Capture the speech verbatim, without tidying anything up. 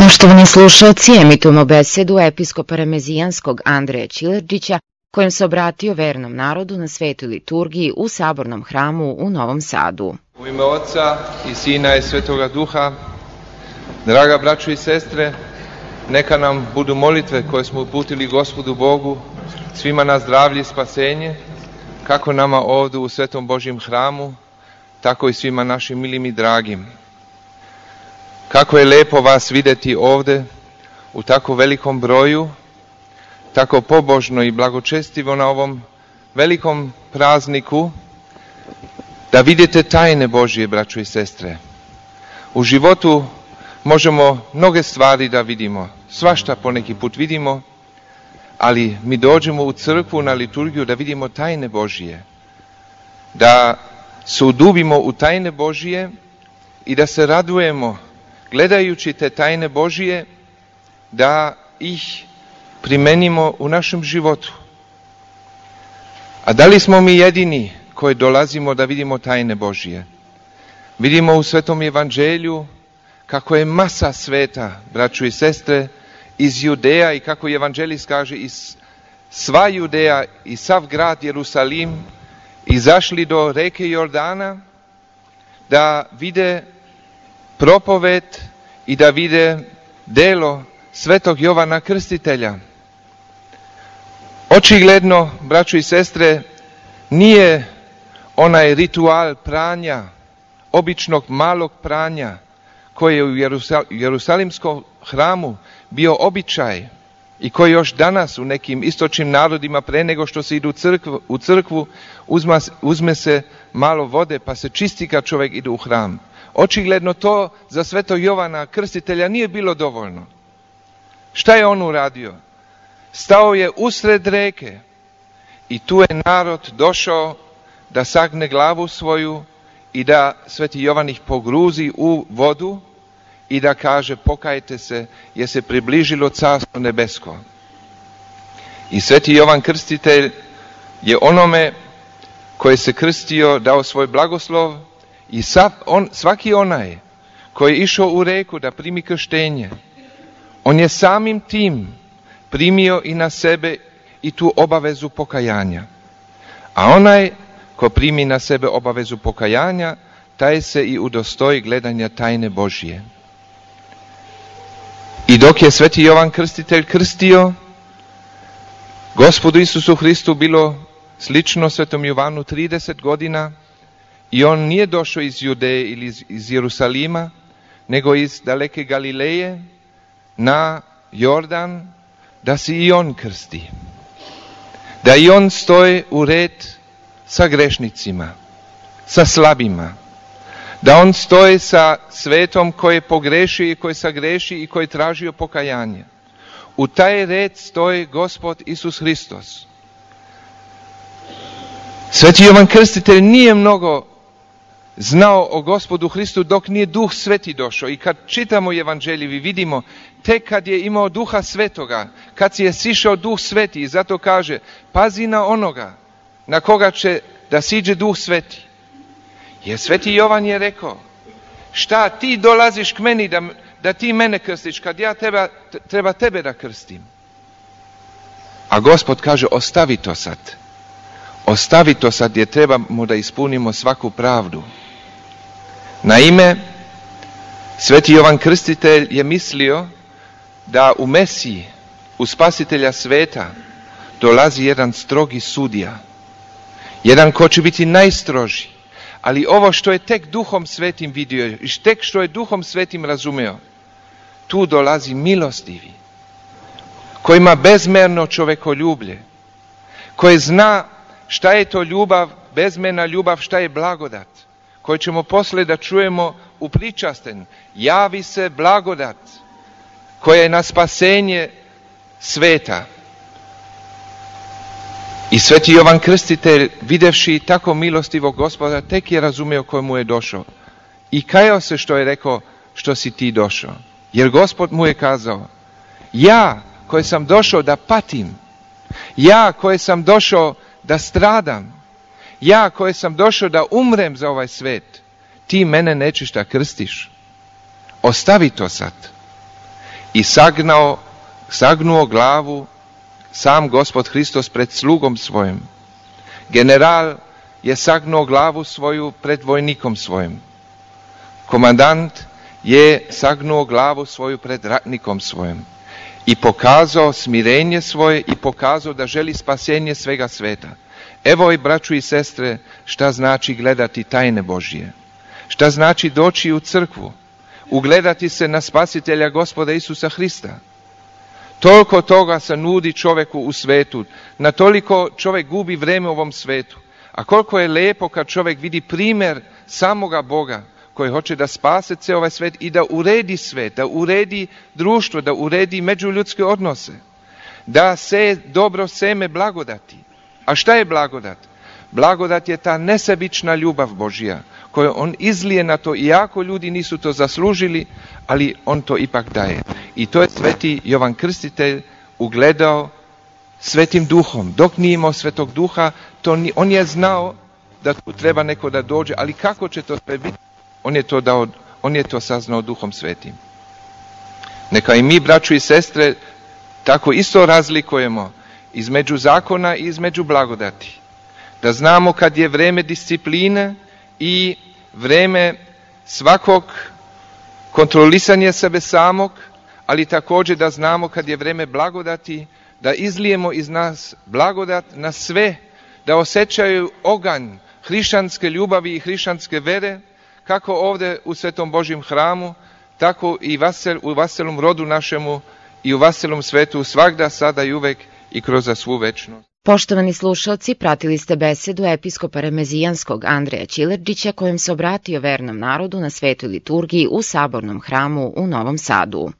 Poštovani slušalci, emitujemo besedu episkopa Remezijanskog Andreja Čilerđića, kojem se obratio vernom narodu na svetoj liturgiji u Sabornom hramu u Novom Sadu. U ime Oca i Sina i Svetoga Duha, draga braćo i sestre, neka nam budu molitve koje smo uputili Gospodu Bogu, svima na zdravlje i spasenje, kako nama ovdje u Svetom Božjem hramu, tako i svima našim milim i dragim. Kako je lepo vas vidjeti ovdje u tako velikom broju, tako pobožno i blagočestivo na ovom velikom prazniku, da vidite tajne Božje, braćo i sestre. U životu možemo mnoge stvari da vidimo, svašta poneki put vidimo, ali mi dođemo u crkvu na liturgiju da vidimo tajne Božje, da se udubimo u tajne Božje i da se radujemo gledajući te tajne Božje, da ih primenimo u našem životu. A da li smo mi jedini koji dolazimo da vidimo tajne Božje? Vidimo u Svetom Evanđelju kako je masa sveta, braćo i sestre, iz Judeja i kako evanđelist kaže iz sva Judeja i sav grad Jerusalim izašli do reke Jordana da vide propoved i da vide delo Svetog Jovana Krstitelja. Očigledno, braćo i sestre, nije onaj ritual pranja, običnog malog pranja, koji je u Jerusal- Jerusalimskom hramu bio običaj i koji još danas u nekim istočnim narodima pre nego što se idu u crkvu, u crkvu uzma, uzme se malo vode pa se čisti kad čovjek ide u hram. Očigledno to za Svetog Jovana Krstitelja nije bilo dovoljno. Šta je on uradio? Stao je usred reke i tu je narod došao da sagne glavu svoju i da Sveti Jovan ih pogruzi u vodu i da kaže pokajte se jer se približilo Carstvo nebesko. I Sveti Jovan Krstitelj je onome koji se krstio dao svoj blagoslov i sav, on, svaki onaj koji je išao u reku da primi krštenje, on je samim tim primio i na sebe i tu obavezu pokajanja. A onaj ko primi na sebe obavezu pokajanja, taj se i udostoji gledanja tajne Božje. I dok je Sveti Jovan Krstitelj krstio, Gospodu Isusu Hristu bilo slično Svetom Jovanu trideset godina i on nije došao iz Judeje ili iz, iz Jerusalima, nego iz daleke Galileje na Jordan, da se i on krsti. Da i on stoji u red sa grešnicima, sa slabima. Da on stoji sa svetom koji je pogrešio i koji sagreši i koji je tražio pokajanje. U taj red stoji Gospod Isus Hristos. Sveti Jovan Krstitelj nije mnogo znao o Gospodu Hristu dok nije Duh Sveti došao. I kad čitamo evanđelje vi vidimo tek kad je imao Duha Svetoga, kad si je sišao Duh Sveti i zato kaže pazi na onoga na koga će da siđe Duh Sveti. Jer Sveti Jovan je rekao šta ti dolaziš k meni da, da ti mene krstiš kad ja teba, treba tebe da krstim. A Gospod kaže ostavi to sad. Ostavi to sad jer trebamo da ispunimo svaku pravdu. Naime, Sveti Jovan Krstitelj je mislio da u Mesiji, u Spasitelja sveta, dolazi jedan strogi sudija. Jedan ko će biti najstroži. Ali ovo što je tek Duhom Svetim vidio i tek što je Duhom Svetim razumeo, tu dolazi milostivi, koji ima bezmerno čovekoljublje, koji zna šta je to ljubav, bezmerna ljubav, šta je blagodat, koji ćemo posle da čujemo u pričasten. Javi se blagodat koja je na spasenje sveta. I Sveti Jovan Krstitelj, videvši tako milostivog Gospoda, tek je razumio kojemu je došao. I kajao se što je rekao, što si ti došao. Jer Gospod mu je kazao, ja koji sam došao da patim, ja koji sam došao da stradam, ja koji sam došao da umrem za ovaj svet, ti mene nećeš da krstiš. Ostavi to sad. i sagnao, sagnuo glavu sam Gospod Hristos pred slugom svojim. General je sagnuo glavu svoju pred vojnikom svojim. Komandant je sagnuo glavu svoju pred ratnikom svojim i pokazao smirenje svoje i pokazao da želi spasenje svega sveta. Evo i braću i sestre, šta znači gledati tajne Božje. Šta znači doći u crkvu, ugledati se na spasitelja Gospoda Isusa Hrista. Toliko toga se nudi čovjeku u svetu, na toliko čovjek gubi vreme u ovom svetu. A koliko je lijepo kad čovjek vidi primjer samoga Boga koji hoće da spase cijel ovaj svet i da uredi svet, da uredi društvo, da uredi međuljudske odnose, da se dobro seme blagodati. A šta je blagodat? Blagodat je ta nesebična ljubav Božja koju on izlije na to, iako ljudi nisu to zaslužili, ali on to ipak daje. I to je sveti Jovan Krstitelj ugledao svetim duhom. Dok nije imao svetog duha, to ni, on je znao da tu treba neko da dođe, ali kako će to sve biti? On je to dao, on je to saznao duhom svetim. Neka i mi, braću i sestre, tako isto razlikujemo između zakona i između blagodati. Da znamo kad je vreme discipline i vreme svakog kontrolisanja sebe samog, ali također da znamo kad je vreme blagodati, da izlijemo iz nas blagodat na sve, da osjećaju oganj hrišćanske ljubavi i hrišćanske vere, kako ovdje u Svetom Božjem hramu, tako i vasel, u vaselom rodu našemu i u vaselom svetu svagda, sada i uvek i kroz svu večnost. Poštovani slušalci, pratili ste besedu episkopa remezijanskog Andreja Ćilerđića kojim se obratio vernom narodu na svetoj liturgiji u Sabornom hramu u Novom Sadu.